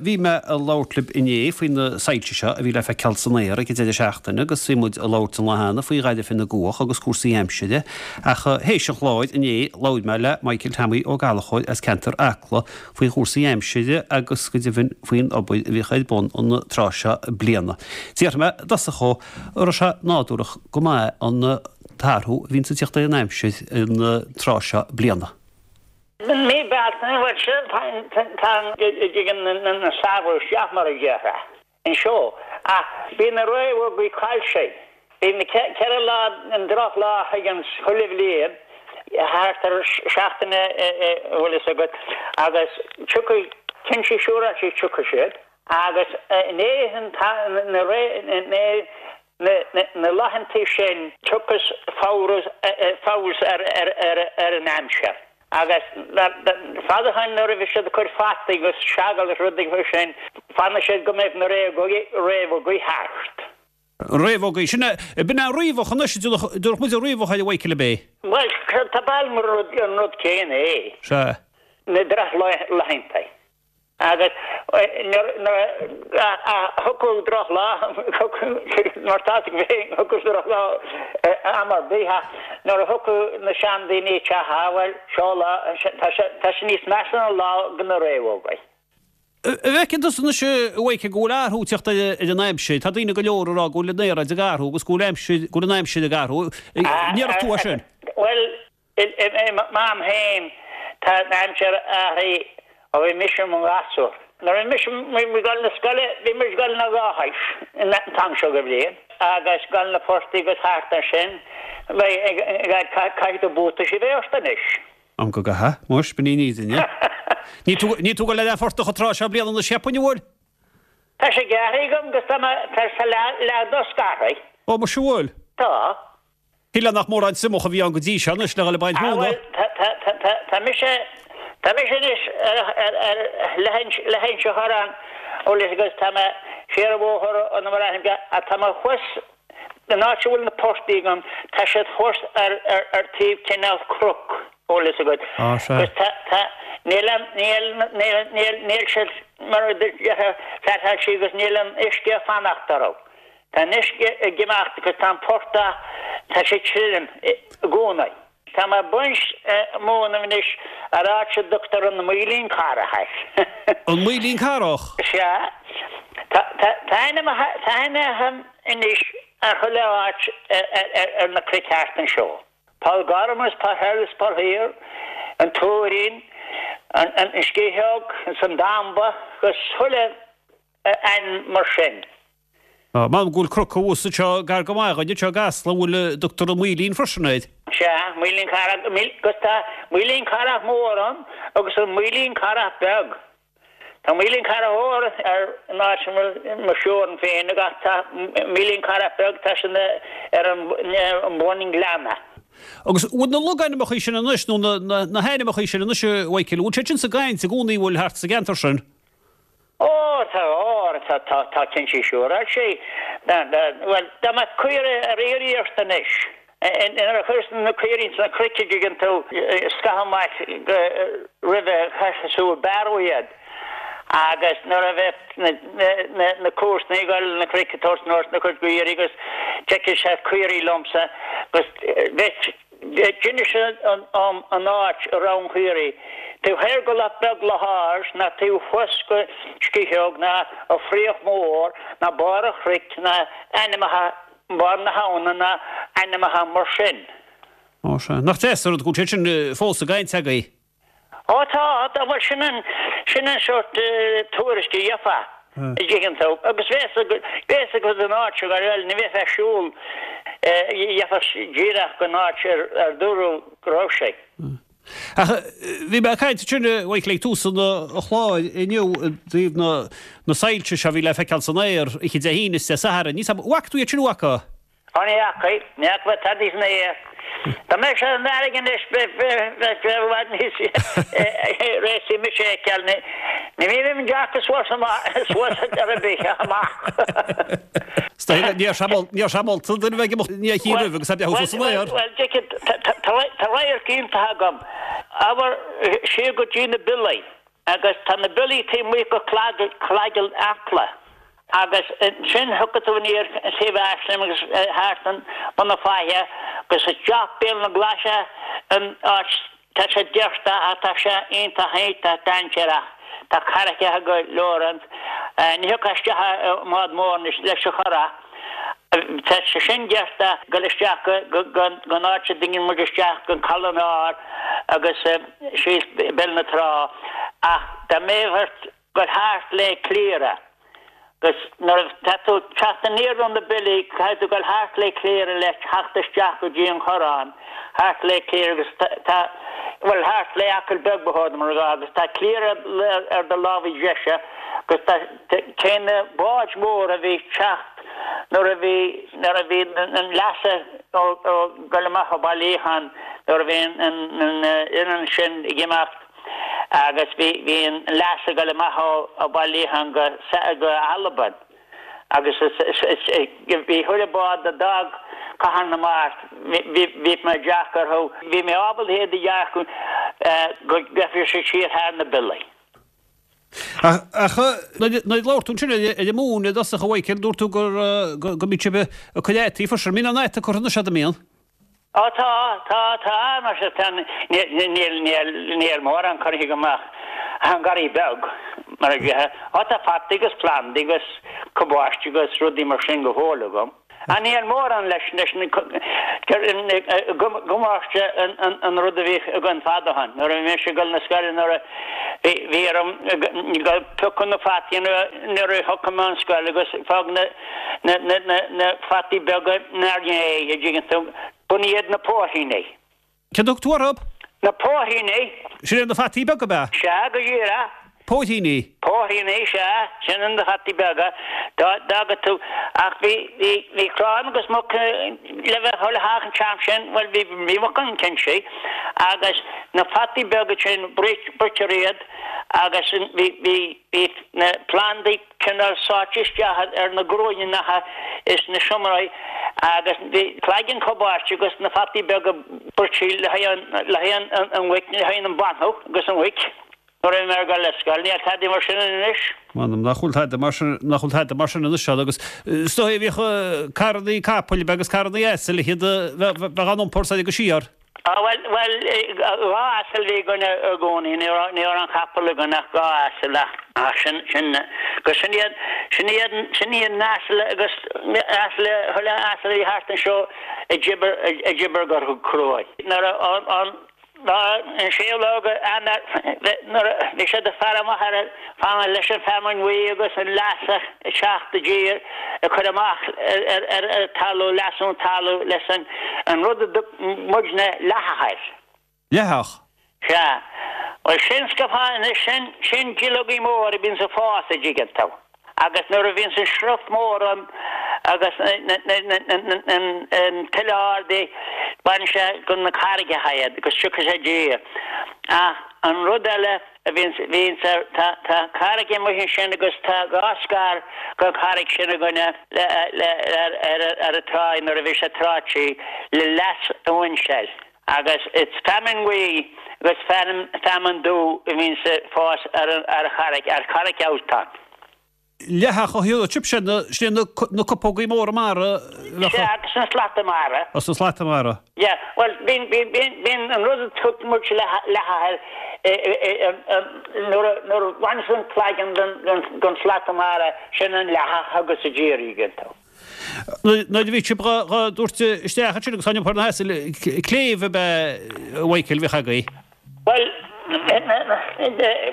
Bhí mé ag labhairt libh inné faoi na soilse seo a bhí le feiceáil san aer ag an deireadh seachtaine agus bhí muid ag labhairt an lá cheana faoi ghairbh na gcuach agus cúrsaí aimsire ach théis an chláir inné labhair mé le Michael Tommy Ó Gallchóir as ceantar Acla faoi chúrsaí aimsire agus go deimhin faoin obair a bhíodh ar bun an tráth seo bliana. D'fhiafraigh mé i dtosach dhó an raibh sé nádúrach go maith an t-athrú a bhíonns ag teacht ar an aimsir an tráth seo bliana. Mí Bealtaine, bhuel sin tá dtigeann an samhradh isteach mar a déarfá anseo ach bíonn na réabhógaí caillte. Bíonn na 4 lá an drochlá a thagann chuile bhliain thart ar seachtain a bhfuil fhios agat agus tiocfaidh cinnte siúráilte tiocfaidh siad agus i ndiaidh na na laethantaí sin tiocfas feabhas ar an aimsir. Agus fada ó shoin nuair a bhí siad ag cur fataí agus seagal agus rudaí mar sin, fanfaidh siad go mbeidh na réabhógaí thart. Réabhógaí, sin é, b'in é an riabhach anois, dúirt muid an riabhach ar a Mhichael ab é? Bhuel, tá bail mar an rud céanna é. Sea. Na drochlaethanta. Agus nuair a thiocfadh drochlá, mar tá fhios agat féin, thiocfadh drochlá am ar bith ach nuair a thiocfadh na seandaoine isteach, á bhuel, seo lá, tá sé níos measa ná lá de na réabhógaí. An bhfeiceann tusa anois, a Mhichael, go bhfuil athrú ag teacht ar an aimsir? Tá daoine go leor ag rá go bhfuil an aeráid ag athrú agus go bhfuil aimsir, go bhfuil an aimsir ag athrú. An ndéarfadh tú é sin? Bhuel, I m'am féin, tá an aimsir athraithe ó bhí mise i mo ghasúr. Nuair a bhí mise ag dul na scoile, bhí muid ag dul na ráthaís an t-am seo de bhliain agus dul na portaigh agus thart ansin. Caithfidh tú buataisí a bheith ort anois. Am go gcaithfidh, muis, b'in í an fhírinne. Níl tú, níl tú ag dul ar an phortach an tráth seo bliana anois cheapfainn, an bhfuil? Tá sé gearrtha agam agus tá mé, tá leath dó scartha. Ó, muis, an bhfuil? Tá. Shílfeá nach mórán triomach a bhí ann go dtí seo anois le dhul ag baint Ah móna. bhuel, tá mise, tá mise anois ar leithinse Chorráin, bhfuil fhios agat, tá mé siar an bhóthar ó na Maraithe, ach tá mé thuas, an áit a bhfuil na portaigh agam, tá siad thuas ar taobh cineál cnoc, bhfuil fhios agat. Ah, sea. Agus tá, tá, níl an, níl, níl, níl, níl siad mar a déarfá, flatálta agus níl an uisce ag fanacht orthu. Tá an uisce ag imeacht agus tá an portach, tá sé tirim i gcónaí. Tá mé ag baint móna anois ar áit a dtugtar an Maoilín Carrach air. An Maoilín Carrach? Sea. Tá ainmneacha anois ar chuile áit ar na cnoic thart anseo. Poll Gorm is Poll Thoir is Poll Thiar, an Tuairín, an Sciathóg is an Damba agus chuile ainm mar sin. M'anam go bhfuil cnoc thuas anseo gar go maith dhuinn anseo i gCasla a bhfuil a dtugtar an Maoilín freisin air. Sea, Maoilín Carrach, agus tá Maoilín Carrach Mór ann agus an Maoilín Carrach Beag. Tá Maoilín Carrach Mór ar an áit a bhfuil mo theorann féin agus tá Maoilín Carrach Beag, tá sin ar an bhun gleanna. Agus bhfuil na logainmneacha sin anois, nó na hainmneacha sin anois, a Mhichael, bhfuil siad sin sa gcaint i gcónaí, bhfuil thart sa gceantar sin? Ó, tá, ó, tá, tá, tá cinnte siúráilte. Bhuel, dá mbeadh caoirigh ar iarraidh ort anois, nuair a chuireas na caoirigh ins na cnoic a dtuigeann tú, scaitheamh amach roimhe, chaithfeadh tú ag bearradh iad agus nuair a bheadh na, na, na comharsana ag dul na cnoic ag tabhairt anuas na cuid caoirigh agus d'fheicfeadh siad caoirigh liomsa agus bheadh D'inis dom an áit a raibh an chaoirigh, taobh thoir go Loch Beag Loch ná taobh thuas go Sciathóg ná an Fraoch Mór ná Barr an Chnoic ná ainmneacha Barr na hAbhna ná ainmneacha mar sin. Ó sea. Nach deas an rud go bhfuil siad sin fós i gcaint agaibh. Ó tá, tá, bhuel sin an, sin an sórt tuairisc a gheofá, a dtuigeann tú, agus bheas, bheas agat an áit seo, bhuel, ní bheifeá ag siúl, gheofá díreach go an áit ar, ar dúradh go raibh sé. Ach bhí mé ag caint ansin, a Mhichael, ag tús an chláir inniu i dtaobh na, na soilse seo a bhí le feiceáil san aer oíche Dé hAoine is Dé Sathairn. Ní, bhfaca tú iad sin, an bhfaca? Ó ní fhaca, ní fhaca mé tada san aer. Dá mbeadh sé san fharraige anois bheadh sé i bhfad níos réasúnaí mise a fheiceáil. Ní bhím ag dearcadh suas suas ar bith amach. Níl sé molta duine bheith ag imeacht ní a chíonn roimh agus é breathnú suas san aer. Bhuel, tá radharc iontach agam. Abair siar go dtí na Biollaí. Agus tá na biollaí taobh amuigh go Cloigeann Acla. Agus ansin thiocfadh tú aniar taobh Ashling agus thart an Bun na Faiche agus isteach Béal na Glaise an áit tá sé doirte ach tá sé iontach iontach dainséarach. Tá carraigeacha go leor ann. Ní thiocfá isteach i mbád mór anois leis an churach. Tá sé sin doirte dul isteach go gon áit a dtugann muid isteach gon Caladh an Áir agus síos Béal na Trá ach dá mbeadh ort dul thart le Cliara agus nuair atá tú ag teacht aniar ó na Billí caithfidh tú dul thart le Cliara le theacht isteach go dtí an Corrán thart le Cliara agus tá bhuel thart le Acaill Beag ba chóir dom a rá agus tá Cliara ar do lámh dheise agus tá cé na báid mhóra a bhí ag teacht nuair a bhí nuair a bhí an leasa ó dul amach ó Baile Liacháin nuair a bhí an an an sin ag imeacht agus bhí bhí an leasa ag dul amach ó ó Baile Liacháin go go Albain agus is is is bhí chuile bád a d'fhág Cathair na Mart bhí bhí mé ag dearcadh orthu bhí mé ábalta iad a dhearcadh go gcaithfidh siad siar thar na biollaí. Ach nuair a labhair tú ansin ar an móin i dtosach a Mhichael, dúirt tú go mbíodh sibh ag cur fhataí freisin. An mbíonn aon fhata curtha anois agat, an mbíonn? Ó tá, tá, tá, mar sin tá, níl, níl, níl, níl mórán curtha agam ach an garraí beag, mar a déarfá. Ó tá fataí agus plandaí agus cabáiste agus rudaí mar sin go fóill agam. Ach níl mórán leis leis na gabáiste an rud a bhíodh againn fad ó shin. Nuair a bhí mise ag dul na scoile nuair a bhí bhí orm dul piocadh na fataí nuair a thiocfadh mé ón scoil agus fág na na na na fataí beaga inár ndiaidh a dtuigeann tú. B'in iad na póithríní. Céard a thug tú orthu? Na póithríní. Sin iad na fataí beaga, ab ea? Sea, go díreach. Póithríní. Póithríní, sea. Sin iad na fataí beaga. Dá dtagadh tú. Ach bhí, bhí, bhí crann agus muc le bheith chuile theach an t-am sin, bhuel bhí, bhí muc ann cinnte. Agus na fataí beaga sin, bruitear iad agus bhí, bhí, bhí na plandaí, cineál sáite isteach ar na gcruinneacha is na seomraí agus bhí cloigeann cabáiste agus na fataí beaga bruite le haghaidh an mhuic, le haghaidh an bhainfeadh agus an mhuic nuair a bhí mé ag dul ar scoil. Níl tada mar sin anois. M'anam nach bhfuil tada mar sin, nach bhfuil tada mar sin anois agus is dóigh bhíodh carrannaí capaill agus carrannaí asail iad a bheith á n-iompar soir agus siar. Á, bhuel, bhuel, 2 asal a bhí againn i gcónaí, ní raibh, ní raibh aon chapall againn ach 2 asal ach, ach sin, sin, agus sin iad, sin iad, sin iad na asail agus asail, chuile asal a bhí thart anseo a d'oibir, a d'oibir go cruaidh. Nuair a, an, an, lá, an séú lá de Eanáir, nuair a bhí siad ag faire amach ar an, fanacht leis an feamainn bhuí agus an leas ag teacht i dtír, ag cur amach ar, ar, ar talamh, leasú an talamh leis an, an rud a dtug muidne leathach air. Leathach? Sea. Bhuel, sin scafán, sin, sin duilleogaí móra a bhíonns ag fás, a dtuigeann tú. Agus nuair a bhíonns an sruth mór ann agus an tuile ardaithe, baineann sé go na carraigeacha iad agus tiocfaidh sé i dtír. Ach an rud eile a bhíonns, bhíonns ar, tá, tá carraig amuigh ansin agus tá 2 scar den charraig sin againne le, le, ar, ar, ar an tráigh nuair a bhí sé tráite le leas a bhaint air. Agus is feamainn bhuí agus feamainn dubh a bhíonns ag fás ar an charraig, ar Charraig Ultain. Leathach ó thaobh sibhse, sin na cupógaí móra mara. Sea, agus na slata mara. Agus na slata mara. Yeah, bhuel, bíonn, bíonn, bíonn, bíonn an rud a thug muid leathach air, nuair a, nuair a bhaineas an cloigeann den, den, den slata mara, sin an leathach agus a d'iarraidh, tú. Nuair a bhí sibh dhá dtabhairt isteach ansin agus á n-iompar na hasail, cléibh ab ea, a Mhichael, a bhíodh agaibh? Bhuel,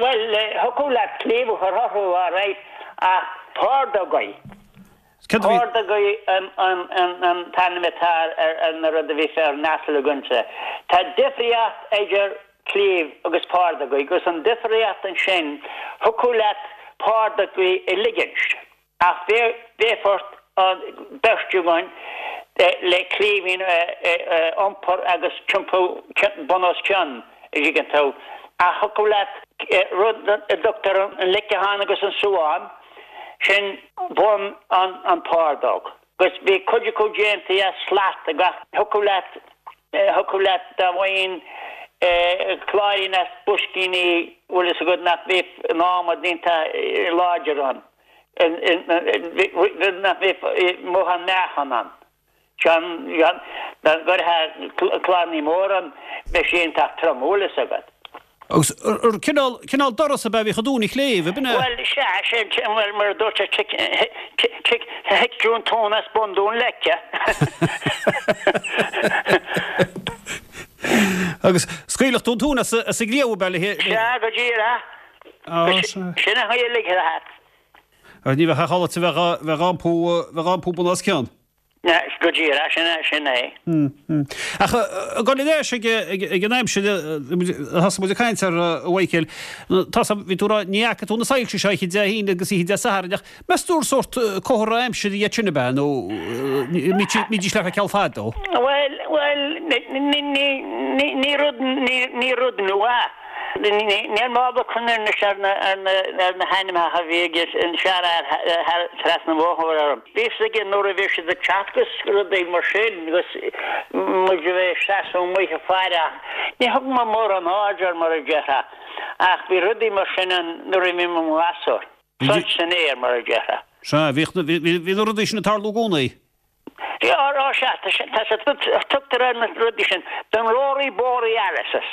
bhuel, thiocfadh leat cléibh a chur orthu all right ach pordógaí. Pordógaí an t-ainm atá ar na rud a bhí ar an asal againse. Tá difríocht idir cléibh agus pordógaí agus an difríocht ansin, thiocfadh leat pordógaí a ligint. Ach bheadh ort an bheirt againn le cliabhín a iompar agus tiompú bun os cionn, a dtuigeann tú. Ach thiocfadh leat rud a dtugtar an leiceachán agus an suán, sin bun an phordóg. Agus bhí cuid acu déanta as slat ach thiocfadh leat, thiocfadh leat dá bhfaighinn. Cláirín as boiscíní bhfuil fhios agat nach mbeadh an adhmad iontach láidir ann, nach mbeadh mórán meáchan ann. Dá gcuirfeá cláiríní mór ann bheadh sé iontach trom, bhfuil fhios agat. Agus ar cineál, cineál doras ab ea a bhíodh i dtóin an chléibh, ab in ea? Bhuel, sea, sin, bhuel, mar a dúirt sé, tic, tic, thit tú an tóin as bun Dún Leice. Agus scaoilfeadh tú an tóin as an gcliabh ab ea le. Sea, go díreach. Sin an chaoi a ligfeá leat. Agus ní bheadh ach alait a bheith á iompú, bheith á iompú bun os cionn. Go díreach, sin é, sin é. Ach ag dul ar ais ag an aimsir a thosaigh muid ag caint air, a Mhichael, tá bhí tú ag rá, ní fhaca tú na soilse seo oíche Dé hAoine agus oíche Dé Sathairn ach meas tú gur sórt comhartha aimsire iad sin ab ea nó mbídís le feiceáil fadó? Bhuel, bhuel, ní rud, ní rud nua. Níl mé ábalta cuimhneamh anois ar na hainmneacha a bhí ag an seanfhear trasna an bhóthair orm. Bhí fhios aige nuair a bhí siad ag teacht agus rudaí mar sin agus muid a bheith ag seasamh amuigh ag faire ach ní thug mé mórán aird air mar a déarfá ach bhí rudaí mar sin ann nuair a bhí mé i mo ghasúr. Soilse san aer mar a déarfá. Sea, bhí na rudaí sin ag tarlú i gcónaí. Á, sea, tá sé, tugtar ar na rudaí sin, the Rory Borealises.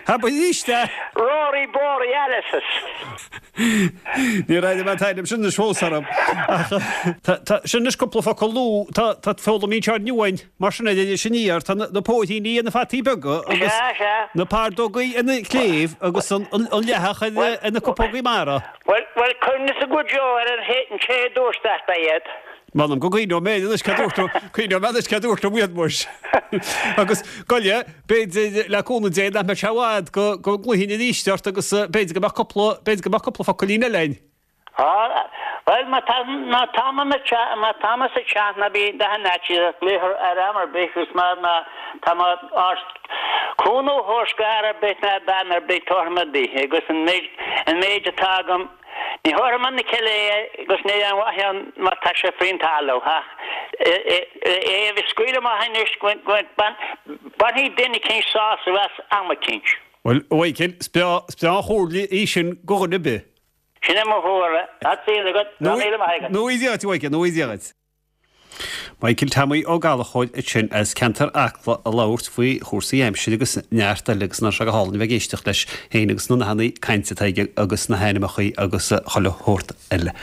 Abair arís é! Rory Borealises. Níor airigh mé an t-ainm sin anois fós orm. Ach tá, sin anois cúpla focal nua, tá, tá foghlaimíonn sé inniu uainn, mar sin ar Iris Aniar, tá na póithíní ar na fataí beaga agus Sea, sea. na pardógaí ina cléibh agus an leathach ar na cupógaí mara. Bhuel, bhuel, cuimhnigh go deo ar an té a dúirt leat iad. M'anam go gcuimhneoidh mé anois cé dúirt tú, cuimhneoidh mé anois cé dúirt liom iad muis. Agus, gabh i leith, b'fhéidir, le cúnamh Dé, nach mbeidh sé i bhfad go, go nglaofainn arís ort agus b'fhéidir go mbeadh cúpla, b'fhéidir go mbeadh cúpla focailín eile againn. Á, bhuel, má tá, má tá mé sa teach, má tá mé sa teach ná bí d'aon fhaitíos ach glaoch ar am ar bith agus má, má tá mé ábalta cúnamh a thabhairt d'fhear ar bith ná bean ar bith tabharfaidh mé daoithe agus an méid, an méid atá agam, Ní thabharfaidh mé na cille é agus níl aon mhaith ann má tá sé faoin talamh ach é a bheith scaoileadh amach anois go mbainfidh duine eicínt sásamh as am eicínt. Bhuel, a Mhichíl, is breá an chomhairle í sin go dhuine ar bith. Sin é mo chomhairle. Tá súil agat. Go raibh míle maith agat. Nó í Dia dhuit, a Mhichíl, nó í Dia dhuit. Michael Tommy Ó Gallchóir ansin as ceantar Acla ag labhairt faoi chúrsaí aimsire agus neart eile agus nach raibh sé go hálainn a bheith ag éisteacht leis féin agus na nathanna cainte atá aige agus na hainmneacha agus chuile shórt eile.